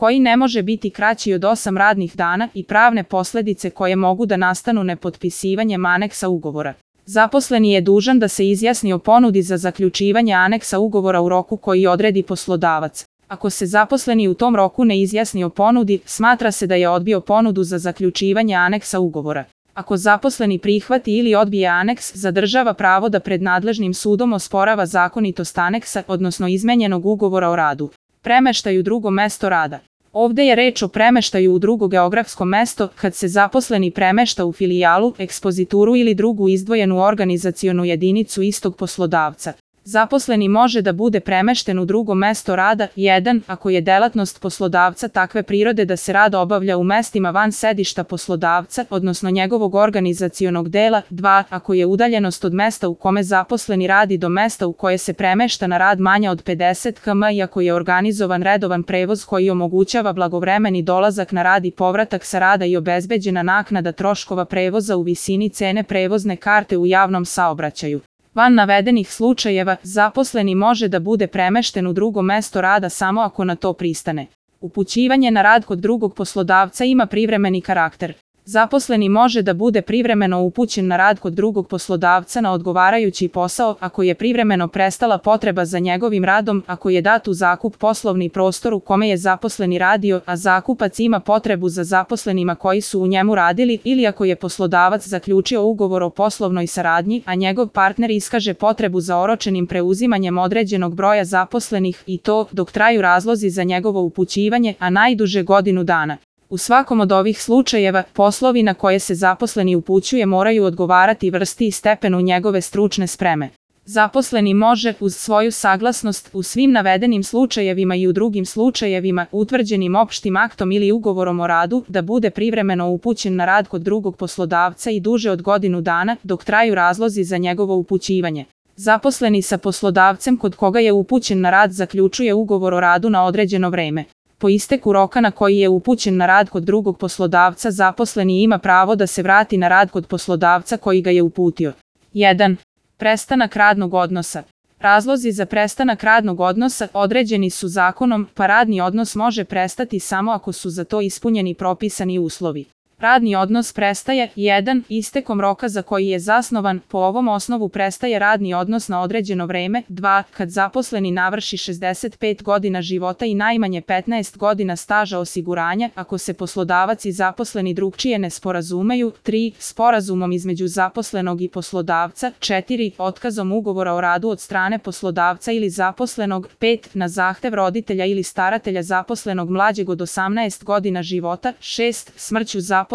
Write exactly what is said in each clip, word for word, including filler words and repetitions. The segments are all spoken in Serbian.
koji ne može biti kraći od osam radnih dana i pravne posledice koje mogu da nastanu nepotpisivanjem aneksa ugovora. Zaposleni je dužan da se izjasni o ponudi za zaključivanje aneksa ugovora u roku koji odredi poslodavac. Ako se zaposleni u tom roku ne izjasni o ponudi, smatra se da je odbio ponudu za zaključivanje aneksa ugovora. Ako zaposleni prihvati ili odbije aneks, zadržava pravo da pred nadležnim sudom osporava zakonitost aneksa, odnosno izmenjenog ugovora o radu. Premeštaj u drugo mesto rada. Ovde je reč o premeštaju u drugo geografsko mesto, kad se zaposleni premešta u filijalu, ekspozituru ili drugu izdvojenu organizacionu jedinicu istog poslodavca. Zaposleni može da bude premešten u drugo mesto rada, jedan. Ako je delatnost poslodavca takve prirode da se rad obavlja u mestima van sedišta poslodavca, odnosno njegovog organizacionog dela, dva. Ako je udaljenost od mesta u kome zaposleni radi do mesta u koje se premešta na rad manja od pedeset kilometara i ako je organizovan redovan prevoz koji omogućava blagovremeni dolazak na rad i povratak sa rada i obezbeđena naknada troškova prevoza u visini cene prevozne karte u javnom saobraćaju. Van navedenih slučajeva, zaposleni može da bude premešten u drugo mesto rada samo ako na to pristane. Upućivanje na rad kod drugog poslodavca ima privremeni karakter. Zaposleni može da bude privremeno upućen na rad kod drugog poslodavca na odgovarajući posao ako je privremeno prestala potreba za njegovim radom, ako je dat u zakup poslovni prostor u kome je zaposleni radio, a zakupac ima potrebu za zaposlenima koji su u njemu radili, ili ako je poslodavac zaključio ugovor o poslovnoj saradnji, a njegov partner iskaže potrebu za oročenim preuzimanjem određenog broja zaposlenih i to dok traju razlozi za njegovo upućivanje, a najduže godinu dana. U svakom od ovih slučajeva, poslovi na koje se zaposleni upućuje moraju odgovarati vrsti i stepenu njegove stručne spreme. Zaposleni može, uz svoju saglasnost, u svim navedenim slučajevima i u drugim slučajevima, utvrđenim opštim aktom ili ugovorom o radu, da bude privremeno upućen na rad kod drugog poslodavca i duže od godinu dana, dok traju razlozi za njegovo upućivanje. Zaposleni sa poslodavcem kod koga je upućen na rad zaključuje ugovor o radu na određeno vreme. Po isteku roka na koji je upućen na rad kod drugog poslodavca, zaposleni ima pravo da se vrati na rad kod poslodavca koji ga je uputio. jedan. Prestanak radnog odnosa. Razlozi za prestanak radnog odnosa određeni su zakonom, pa radni odnos može prestati samo ako su za to ispunjeni propisani uslovi. Radni odnos prestaje, jedan. Istekom roka za koji je zasnovan, po ovom osnovu prestaje radni odnos na određeno vreme, dva. Kad zaposleni navrši šezdeset pet godina života i najmanje petnaest godina staža osiguranja, ako se poslodavac i zaposleni drugčije ne sporazumeju, tri. Sporazumom između zaposlenog i poslodavca, četiri. Otkazom ugovora o radu od strane poslodavca ili zaposlenog, pet. Na zahtev roditelja ili staratelja zaposlenog mlađeg od osamnaest godina života, šest. Smrću zaposlenog,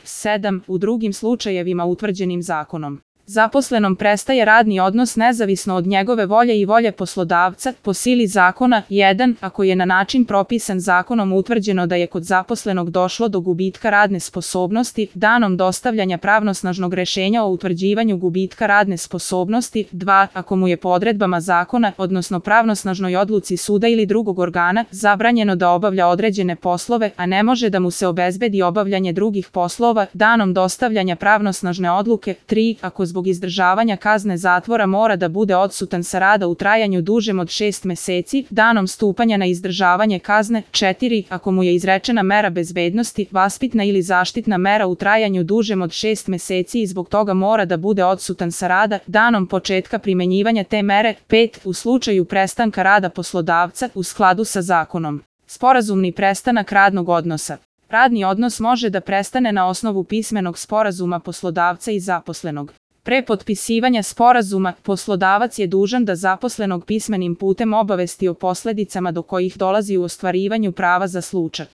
sedam. U drugim slučajevima utvrđenim zakonom. Zaposlenom prestaje radni odnos nezavisno od njegove volje i volje poslodavca, po sili zakona, jedan. Ako je na način propisan zakonom utvrđeno da je kod zaposlenog došlo do gubitka radne sposobnosti, danom dostavljanja pravnosnažnog rešenja o utvrđivanju gubitka radne sposobnosti, dva. Ako mu je po odredbama zakona, odnosno pravnosnažnoj odluci suda ili drugog organa, zabranjeno da obavlja određene poslove, a ne može da mu se obezbedi obavljanje drugih poslova, danom dostavljanja pravnosnažne odluke, tri. Ako zbog izdržavanja kazne zatvora mora da bude odsutan sa rada u trajanju dužem od šest meseci, danom stupanja na izdržavanje kazne, četiri. Ako mu je izrečena mera bezbednosti, vaspitna ili zaštitna mera u trajanju dužem od šest meseci i zbog toga mora da bude odsutan sa rada, danom početka primenjivanja te mere, pet. U slučaju prestanka rada poslodavca, u skladu sa zakonom. Sporazumni prestanak radnog odnosa. Radni odnos može da prestane na osnovu pismenog sporazuma poslodavca i zaposlenog. Pre potpisivanja sporazuma, poslodavac je dužan da zaposlenog pismenim putem obavesti o posledicama do kojih dolazi u ostvarivanju prava za slučaj